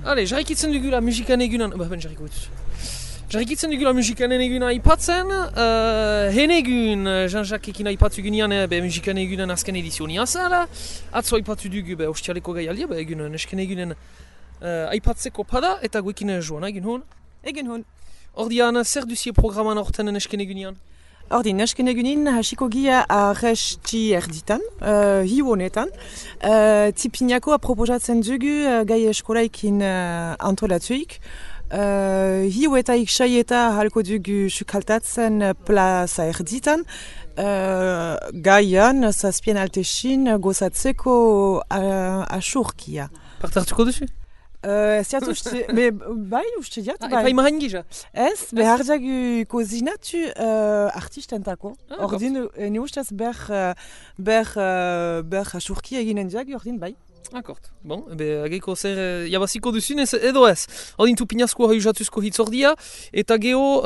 Allez, jarraikitzen dugula musikan egunan... Jarraikitzen dugula musikan eguna aipatzen. Henegun, Jean-Jacques ekin aipatu gunean musikan egunan azken edizionia zala. Atzo aipatu dugu ostialeko gaialdia, egun nesken egunen aipatzeko pada eta guekin joan, egun hon? Egun hon. Ordian, zer duzie programan orten nesken egunean? Ordin, nesken egunin hasiko gia arresti erditan, hiu honetan. Tipiniako aproposatzen dugu gai eskolaikin antolatuik. Hiu eta iksai eta halko dugu sukaltatzen plaza erditan. Gaian, zazpien altesin gozatzeko asurkia. Partartuko duzu? Ez jatu uste, bai uste jat, bai. Bai mahan gisa? Ez, behar jagu kozinatu artistentako. Ordin, ne ustez ber asurkia eginen jagu, ordin, bai. Akort, bon, ageko zer jabaziko duzun edo ez. Ordin tupinazko jatuzko hitzordia, eta geho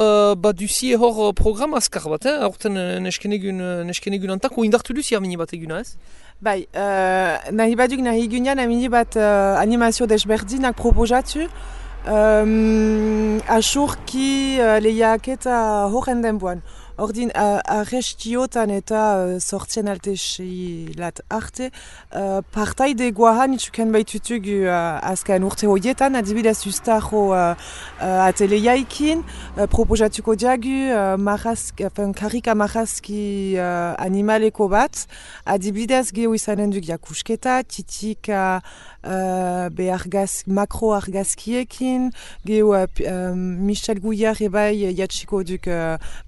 duzie hor programa azkar bat, aurten nesken egun antako indartu duzi amini bat eguna ez? Bai, nahi baduk nahi egunean amini bat animazio desberdinak proposatu. Asurki lehiak eta horren denboan. Ordin, arrestiotan eta sortzen altesilat arte, partaide guahan itxuken baitutuk azken urte horietan, adibidez ustaro ateleiaikin, proposatuko diagu karika marrazki animaleko bat, adibidez geho izanen duk jakusketa, titika makro argazkiekin, geho Michel Gouillard ebai jatxiko duk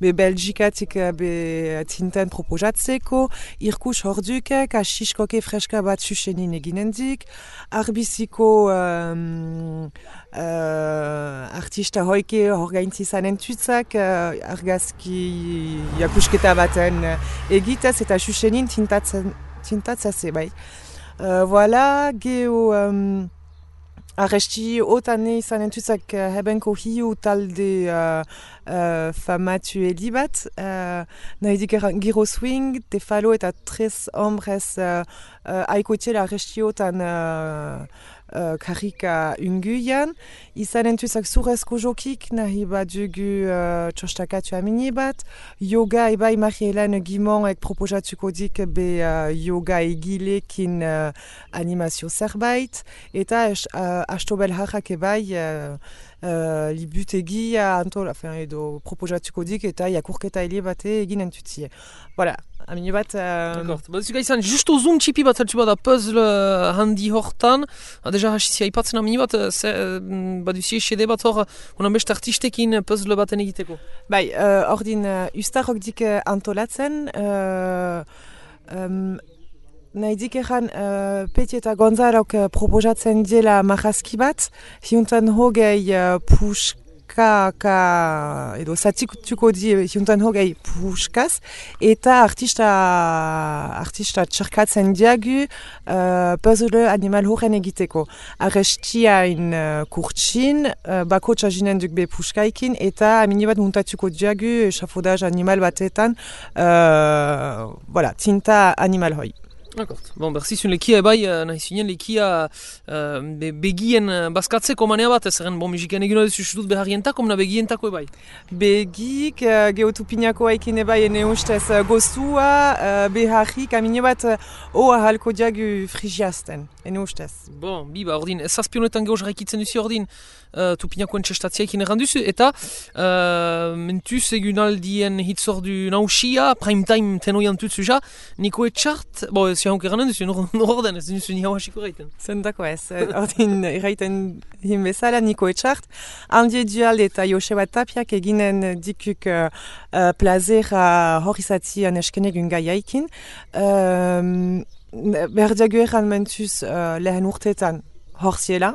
Belgikatik tinten proposatzeko, irkus hordukek, asiskoke freska bat susenin eginendik, arbiziko artista hoike horgaintzi zanen tutzak, argazki jakusketa baten egitez eta susenin tintatzase bai. Voilà, geho arresti otane izanen tutzak hebenko hiu talde famatu elibat. Nahi giro swing, tefalo eta tres hombres aikoetxela arresti otan karika unguian. Izanen tutzak zurezko jokik, nahi badugu txostakatu amini bat. Yoga ebai Marie-Hélène Guimont ek proposatuko dik yoga egilekin animazio zerbait. Eta Astobel Harrak ebai libutegi edo proposatuko dik eta jakurketa hile bate eginen tutzie. Voilà. Amini bat... D'accord. Zuka izan, justo zoom txipi bat zeltsu bada puzzle handi hortan. Deja hasizia aipatzen amini bat, baduzie xede bat hor, unan beste artistekin puzzle baten egiteko. Bai, ordin ustarok dik antolatzen, nahi dik egan Peti eta Gonzalok proposatzen diela marrazki bat, hiuntan hogei edo zatikutuko di hiuntan hogei puskaz, eta artista txarkatzen diagu puzzle animal horren egiteko. Arrestiain kurtsin, bako txazinen duk be puskaikin, eta amini bat muntatuko diagu echafodaz animal batetan, voilà, tinta animal hoi. D'accord. Bon, berzizun lekia ebai, nahi zinen lekia begien bazkatzeko manea bat, zerren musikan eguna duzu dut beharrientako, mena begientako ebai? Begik, geotupinako haikin ebai ene ustez goztua, beharrik, amine bat hoa halko diagu frigiazten, ene ustez. Bon, biba, ordin, zazpionetan geho jarraikitzen duzu ordin, tupinakoen txestatziaikin erranduzu, eta mentuz egunaldien hitzordu nausia, prime time tenoian tutzu ja, niko etxart, bo, ez jaunk eranen duzu, norden ez duzu ni hau hasiko reiten. Zendako ez, ordin erraiten hin bezala niko etxart, handie dual eta Joseba Tapiak eginen dikuk plazera horizatzian eskenegun gaiaikin, berdiago eran mentuz lehen urtetan, horziela,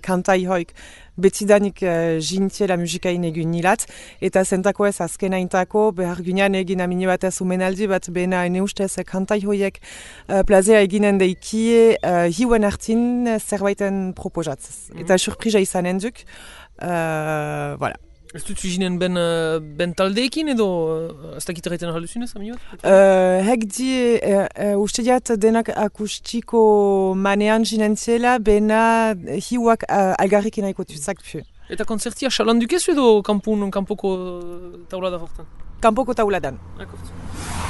kantai hoik betidanik jintiela musikain egun nilat, eta zentako ez azkena intako, behar gunean egin amini batez umenaldi bat bena ene ustez kantai hoiek plazea eginen deikie hiuen hartin zerbaiten proposatzez. Eta surprisa izanen duk, voilà. Ez dut zuzinen ben taldeekin edo ez dakit erraiten ahalduzunez, ami bat? Hek die, uste diat denak akustiko manean ginentziela, bena hiuak algarrekin nahiko tuzak pu. Eta konzertia xalanduk ez edo kanpoko taulada hortan? Kanpoko tauladan.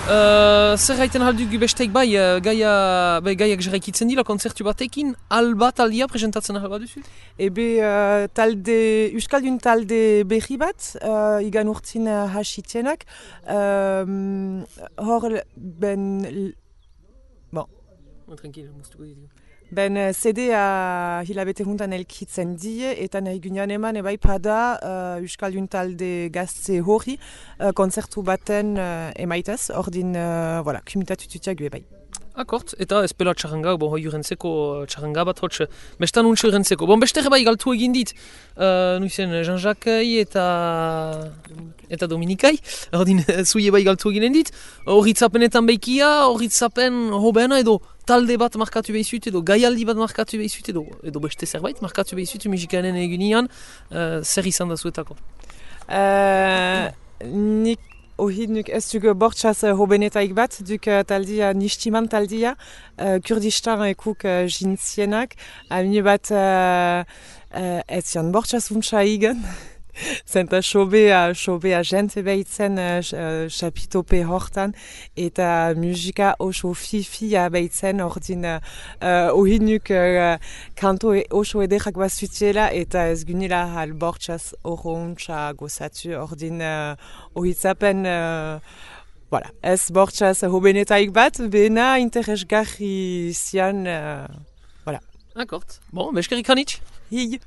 Zer gaiten ahalduk besteik bai, gaiak jarraikitzen dira konzertu batekin, albat aldia presentatzen ahal duzu? Ebe Euskaldun talde berri bat, igan urtzin hasitzenak, hor Tranquil, moztuko ditu. Ben CD-a hilabete juntan elkitzen die, eta nahi gunean eman ebai pada Euskaldun talde gazte hori konzertu baten emaitez, ordin kumitatu tutiak bai. Akort, eta espela txarranga, hoi urentzeko txarranga bat hotx, bestan untxe urentzeko. Beste bai galtu egin dit, nuizen Jean-Jacques eta Dominikai, ordin zuie bai galtu egin dit, horritzapenetan behikia, horritzapen hobena edo talde bat markatu behizut edo gaialdi bat markatu behizut edo beste zerbait markatu behizut musikanen egunian, zer izan da zuetako? Nik Ohid nuk ez duk bortxaz hobenetaik bat, duk taldia, nistiman taldia, Kurdistan ekuk jintzienak, amine bat ez zian bortxaz untsa igen, zenta sobea jente behitzen chapitope hortan, eta musika oso fifia behitzen, ordin ohid nuk kanto oso ederrak bazutiela, eta ez gunila hal bortxaz oro untsa gozatu, ordin ohitzapen, ez bortxaz hobenetaik bat, bena interesgarri zian, Akort, beskerik hanitz? Hig.